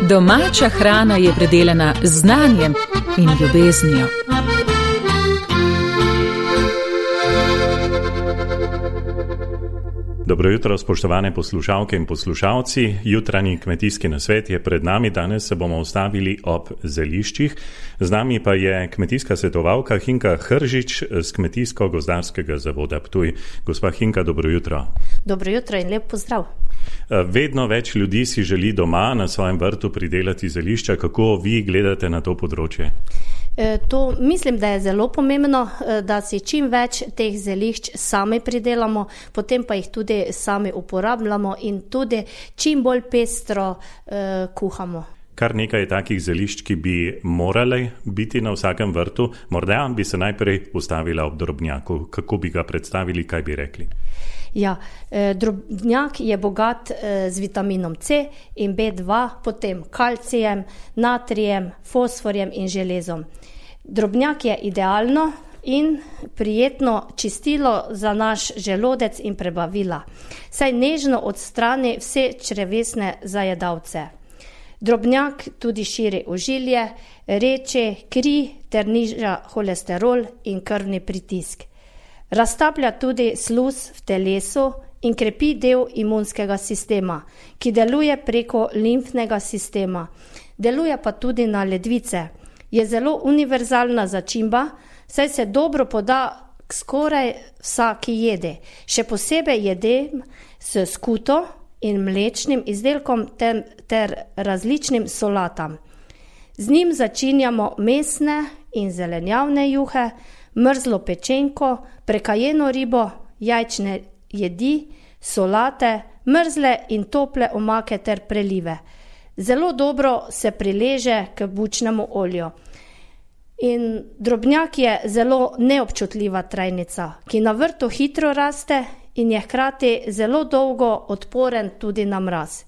Domača hrana je predelana z znanjem in ljubeznijo. Dobro jutro, spoštovane poslušalke in poslušalci. Jutranji kmetijski nasvet je pred nami. Danes se bomo ustavili ob zeliščih. Z nami pa je kmetijska svetovalka Hinka Hržič z Kmetijsko-gozdarskega zavoda Ptuj. Gospa Hinka, dobro jutro. Dobro jutro in lep pozdrav. Vedno več ljudi si želi doma na svojem vrtu pridelati zelišča. Kako vi gledate na to področje? To mislim, da je zelo pomembno, da si čim več teh zelišč sami pridelamo, potem pa jih tudi sami uporabljamo in tudi čim bolj pestro kuhamo. Kar nekaj je takih zelišč, ki bi morali biti na vsakem vrtu. Morda bi se najprej ustavila ob drobnjaku. Kako bi ga predstavili, kaj bi rekli? Ja, drobnjak je bogat z vitaminom C in B2, potem kalcijem, natrijem, fosforjem in železom. Drobnjak je idealno in prijetno čistilo za naš želodec in prebavila, saj nežno odstrani vse črevesne zajedavce. Drobnjak tudi širi ožilje, reče kri ter niža holesterol in krvni pritisk. Raztaplja tudi sluz v telesu in krepi del imunskega sistema, ki deluje preko limfnega sistema. Deluje pa tudi na ledvice. Je zelo univerzalna začimba, saj se dobro poda k skoraj vsaki jedi. Še posebej jedem s skuto in mlečnim izdelkom ter različnim solatam. Z njim začinjamo mesne in zelenjavne juhe, mrzlo pečenko, prekajeno ribo, jajčne jedi, solate, mrzle in tople omake ter prelive. Zelo dobro se prileže k bučnemu olju. In drobnjak je zelo neobčutljiva trajnica, ki na vrtu hitro raste in je hkrati zelo dolgo odporen tudi na mraz.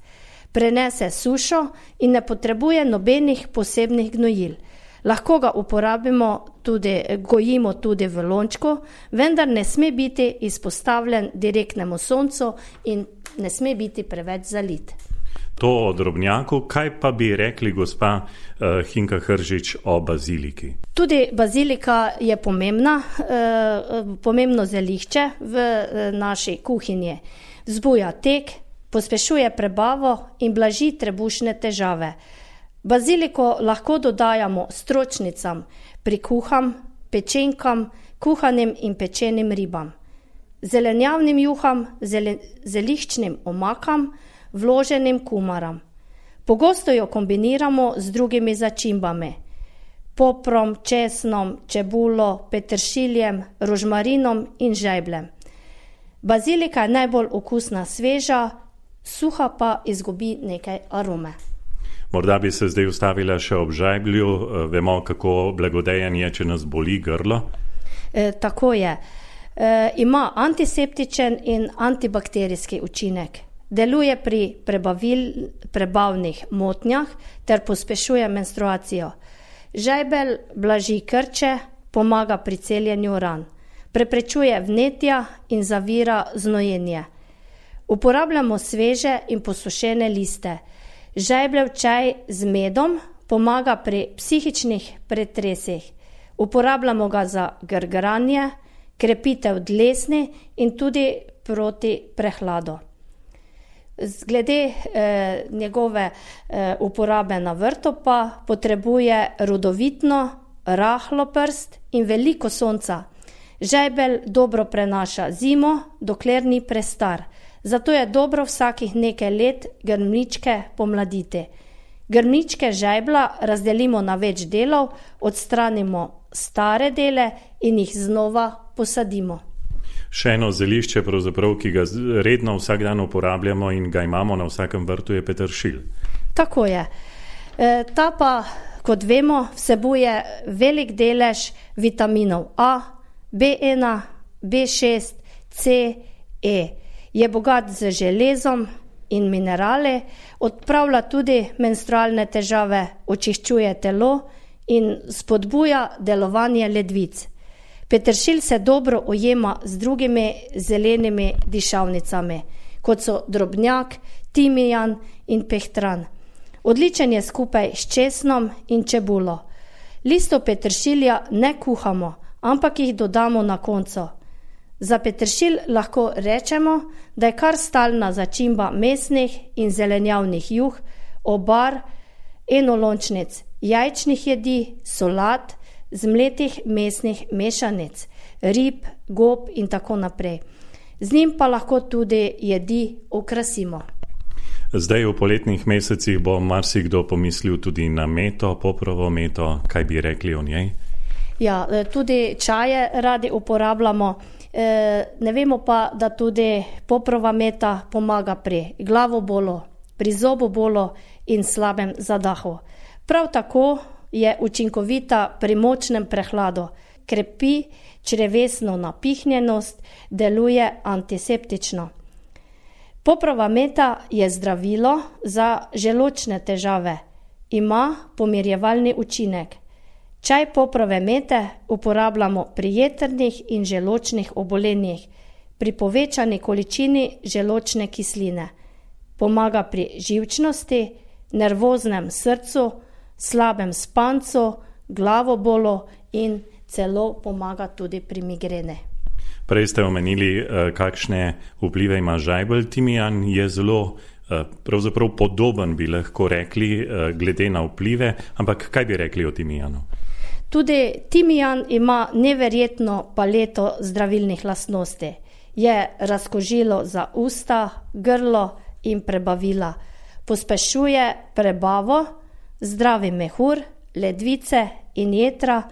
Prenese sušo in ne potrebuje nobenih posebnih gnojil. Lahko ga gojimo tudi v lončku, vendar ne sme biti izpostavljen direktnemu soncu in ne sme biti preveč zalit. To o drobnjaku, kaj pa bi rekli gospa Hinka Hržič o baziliki? Tudi bazilika je pomembno zelišče v naši kuhinji. Vzbuja tek, pospešuje prebavo in blaži trebušne težave. Baziliko lahko dodajamo stročnicam, prikuham, pečenkam, kuhanim in pečenim ribam, zelenjavnim juham, zeliščnim omakam, vloženim kumaram. Pogosto jo kombiniramo z drugimi začimbami, poprom, česnom, čebulo, peteršiljem, rožmarinom in žajbljem. Bazilika je najbolj okusna sveža, suha pa izgubi nekaj arome. Morda bi se zdaj ustavila še ob žajblju. Vemo, kako blagodejen je, če nas boli grlo. Tako je. Ima antiseptičen in antibakterijski učinek. Deluje pri prebavnih motnjah ter pospešuje menstruacijo. Žajbelj blaži krče, pomaga pri celjenju ran. Preprečuje vnetja in zavira znojenje. Uporabljamo sveže in posušene liste. Žajbljev čaj z medom pomaga pri psihičnih pretresih. Uporabljamo ga za grgranje, krepitev dlesni in tudi proti prehladu. Glede njegove uporabe na vrtu pa potrebuje rodovitno, rahlo prst in veliko sonca. Žajbelj dobro prenaša zimo, dokler ni prestar. Zato je dobro vsakih nekaj let grmičke pomladiti. Grmičke žajbla razdelimo na več delov, odstranimo stare dele in jih znova posadimo. Še eno zelišče, pravzaprav, ki ga redno vsak dan uporabljamo in ga imamo na vsakem vrtu, je peteršilj. Tako je. Ta pa, kot vemo, vsebuje velik delež vitaminov A, B1, B6, C, E. Je bogat z železom in minerali, odpravlja tudi menstrualne težave, očiščuje telo in spodbuja delovanje ledvic. Peteršilj se dobro ujema z drugimi zelenimi dišavnicami. kot so drobnjak, timijan in pehtran. Odličen je skupaj s česnom in čebulo. Listov peteršilja ne kuhamo, ampak jih dodamo na koncu. Za peteršilj lahko rečemo, da je kar stalna začimba mesnih in zelenjavnih juh, obar, enolončnic, jajčnih jedi, solat, zmletih mesnih mešanic, rib, gob in tako naprej. Z njim pa lahko tudi jedi okrasimo. Zdaj v poletnih mesecih bo marsikdo pomislil tudi na meto, poprovo meto, kaj bi rekli o njej? Ja, tudi čaje radi uporabljamo. Ne vemo pa, da tudi poprova meta pomaga pri glavobolu, pri zobobolu in slabem zadahu. Prav tako je učinkovita pri močnem prehladu, krepi črevesno napihnjenost, deluje antiseptično. Poprova meta je zdravilo za želodčne težave, ima pomirjevalni učinek. Čaj poprove mete uporabljamo pri jetrnih in želodčnih obolenjih, pri povečani količini želodčne kisline. Pomaga pri živčnosti, nervoznem srcu, slabem spancu, glavobolu in celo pomaga tudi pri migrene. Prej ste omenili, kakšne vplive ima žajbelj. Timijan je zelo pravzaprav podoben, bi lahko rekli, glede na vplive, ampak kaj bi rekli o timijanu? Tudi timijan ima neverjetno paleto zdravilnih lastnosti. Je razkožilo za usta, grlo in prebavila. Pospešuje prebavo, zdravi mehur, ledvice in jetra,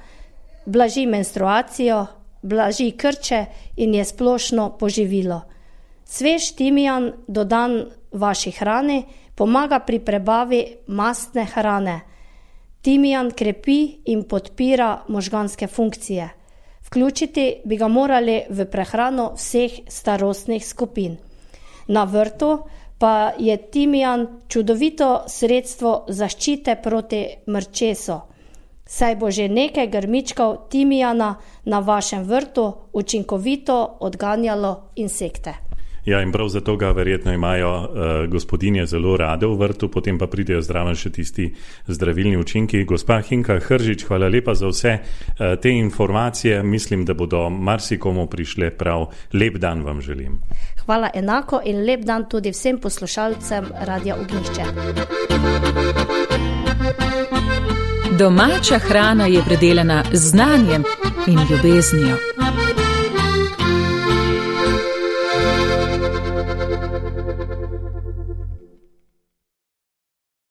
blaži menstruacijo, blaži krče in je splošno poživilo. Svež timijan dodan vaši hrani pomaga pri prebavi mastne hrane. Timijan krepi in podpira možganske funkcije. Vključiti bi ga morali v prehrano vseh starostnih skupin. Na vrtu pa je timijan čudovito sredstvo zaščite proti mrčesu, saj bo že nekaj grmičkov timijana na vašem vrtu učinkovito odganjalo insekte. Ja, in prav zato ga verjetno imajo gospodinje zelo rade v vrtu, potem pa pridejo zraven še tisti zdravilni učinki. Gospa Hinka Hržič, hvala lepa za vse te informacije. Mislim, da bodo marsikomu prišle prav. Lep dan vam želim. Hvala enako in lep dan tudi vsem poslušalcem Radia Ognjišče. Domača hrana je predelana z znanjem in ljubeznijo.